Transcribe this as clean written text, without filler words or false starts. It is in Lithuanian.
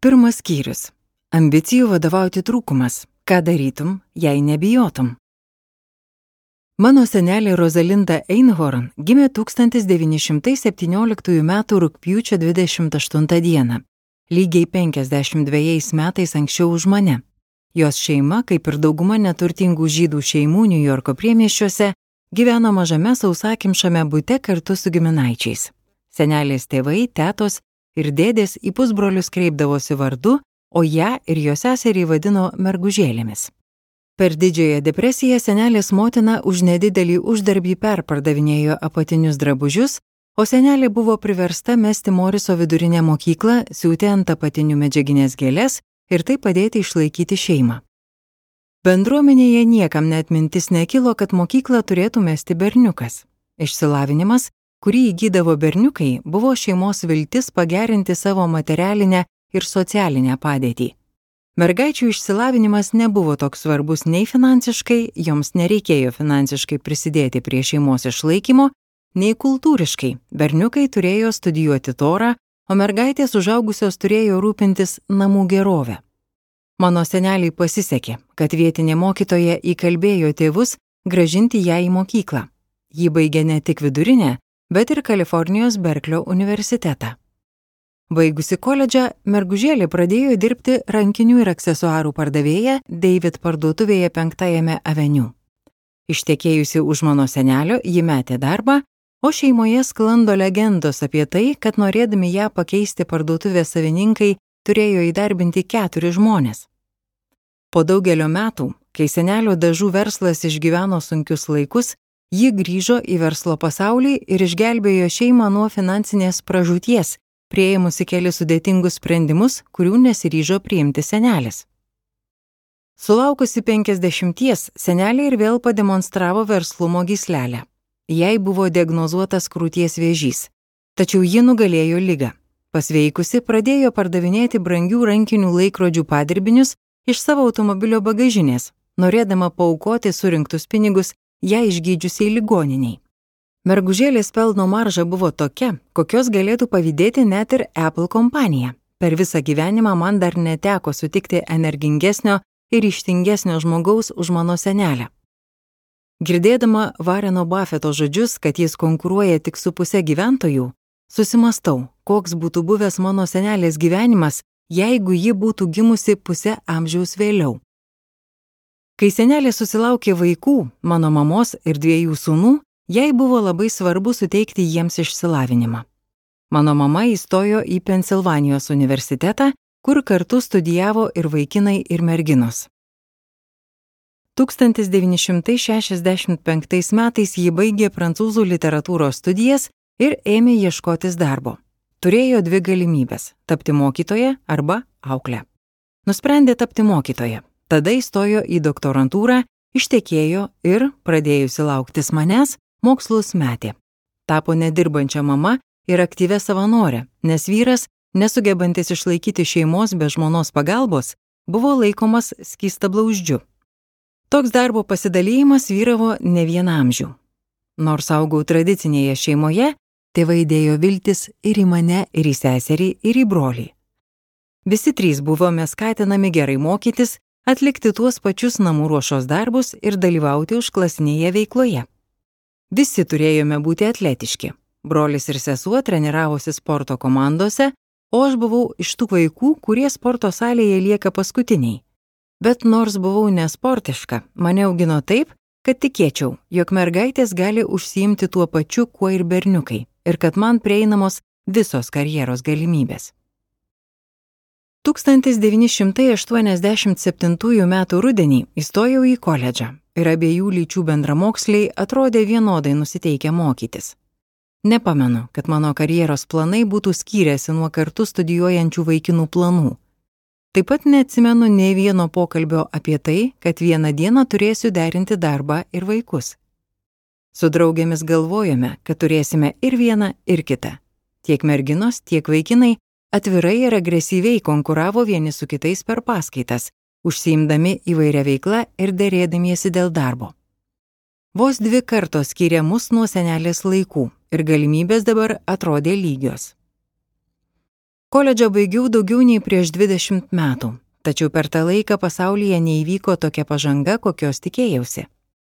Pirmas skyrius. Ambicijų vadovauti trūkumas. Ką darytum, jei nebijotum? Mano senelė Rosalinda Einhorn gimė 1917 m. rugpjūčio 28 d. lygiai 52 metais anksčiau už mane. Jos šeima, kaip ir dauguma neturtingų žydų šeimų Niujorko priemiesčiuose, gyveno mažame sausakimšame bute kartu su giminaičiais. Senelės tėvai, tetos ir dėdės į pusbrolius kreipdavosi vardu, o ją ir jos seserį vadino mergužėlėmis. Per Didžiąją depresiją senelės motina už nedidelį uždarbį perpardavinėjo apatinius drabužius, o senelė buvo priversta mesti Moriso vidurinę mokyklą, siūti ant apatinių medžiaginės gėlės ir taip padėti išlaikyti šeimą. Bendruomenėje niekam net mintis nekilo, kad mokyklą turėtų mesti berniukas. Išsilavinimas, kurį įgydavo berniukai, buvo šeimos viltis pagerinti savo materialinę ir socialinę padėtį. Mergaičių išsilavinimas nebuvo toks svarbus nei finansiškai, joms nereikėjo finansiškai prisidėti prie šeimos išlaikymo, nei kultūriškai. Berniukai turėjo studijuoti Torą, o mergaitės užaugusios turėjo rūpintis namų gerovę. Mano seneliai pasisekė, kad vietinė mokytoja įkalbėjo tėvus grąžinti ją į mokyklą. Ji baigė ne tik vidurinę, bet ir Kalifornijos Berklio universitetą. Baigusi koledžą, mergužėlė pradėjo dirbti rankinių ir aksesuarų pardavėja David parduotuvėje 5 Avenue. Ištekėjusi už mano senelio, ji metė darbą, o šeimoje sklando legendos apie tai, kad norėdami ją pakeisti parduotuvės savininkai turėjo įdarbinti 4 žmones. Po daugelio metų, kai senelio dažų verslas išgyveno sunkius laikus, ji grįžo į verslo pasaulį ir išgelbėjo šeimą nuo finansinės pražūties, priėmusi kelis sudėtingus sprendimus, kurių nesiryžo priimti senelis. Sulaukusi 50, senelė ir vėl pademonstravo verslumo gyslelę. Jai buvo diagnozuotas krūties vėžys, tačiau ji nugalėjo ligą. Pasveikusi, pradėjo pardavinėti brangių rankinių laikrodžių padirbinius iš savo automobilio bagažinės, norėdama paaukoti surinktus pinigus ją išgydžiusiai ligoniniai. Mergužėlės pelno marža buvo tokia, kokios galėtų pavydėti net ir Apple kompanija. Per visą gyvenimą man dar neteko sutikti energingesnio ir ryžtingesnio žmogaus už mano senelę. Girdėdama Warreno Buffetto žodžius, kad jis konkuruoja tik su pusė gyventojų, susimastau, koks būtų buvęs mano senelės gyvenimas, jeigu ji būtų gimusi pusę amžiaus vėliau. Kai senelė susilaukė vaikų, mano mamos ir 2 sūnų, jai buvo labai svarbu suteikti jiems išsilavinimą. Mano mama įstojo į Pensilvanijos universitetą, kur kartu studijavo ir vaikinai, ir merginos. 1965 metais ji baigė prancūzų literatūros studijas ir ėmė ieškotis darbo. Turėjo 2 galimybės – tapti mokytoja arba aukle. Nusprendė tapti mokytoja. Tada įstojo į doktorantūrą, ištekėjo ir, pradėjusi lauktis manęs, mokslus metė. Tapo nedirbančia mama ir aktyvia savanorė, nes vyras, nesugebantis išlaikyti šeimos be žmonos pagalbos, buvo laikomas skystablauzdžiu. Toks darbo pasidalymas vyravo ne vieną amžių. Nors augau tradicinėje šeimoje, tėvai dėjo viltis ir į mane, ir į seserį, ir į brolį. Visi 3 buvome skatinami gerai mokytis, atlikti tuos pačius namų ruošos darbus ir dalyvauti užklasinėje veikloje. Visi turėjome būti atletiški. Brolis ir sesuo treniravosi sporto komandose, o aš buvau iš tų vaikų, kurie sporto salėje lieka paskutiniai. Bet nors buvau nesportiška, mane augino taip, kad tikėčiau, jog mergaitės gali užsiimti tuo pačiu, kuo ir berniukai, ir kad man prieinamos visos karjeros galimybės. 1987 m. rudenį įstojau į koledžą ir abiejų lyčių bendramoksliai atrodė vienodai nusiteikę mokytis. Nepamenu, kad mano karjeros planai būtų skyrėsi nuo kartu studijuojančių vaikinų planų. Taip pat neatsimenu nei vieno pokalbio apie tai, kad vieną dieną turėsiu derinti darbą ir vaikus. Su draugėmis galvojome, kad turėsime ir vieną, ir kitą. Tiek merginos, tiek vaikinai atvirai ir agresyviai konkuravo vieni su kitais per paskaitas, užsiimdami įvairia veikla ir derėdamiesi dėl darbo. Vos 2 kartos skyrė mus nuo senelės laikų ir galimybės dabar atrodė lygios. Koledžą baigiau daugiau nei prieš 20 metų, tačiau per tą laiką pasaulyje neįvyko tokia pažanga, kokios tikėjausi.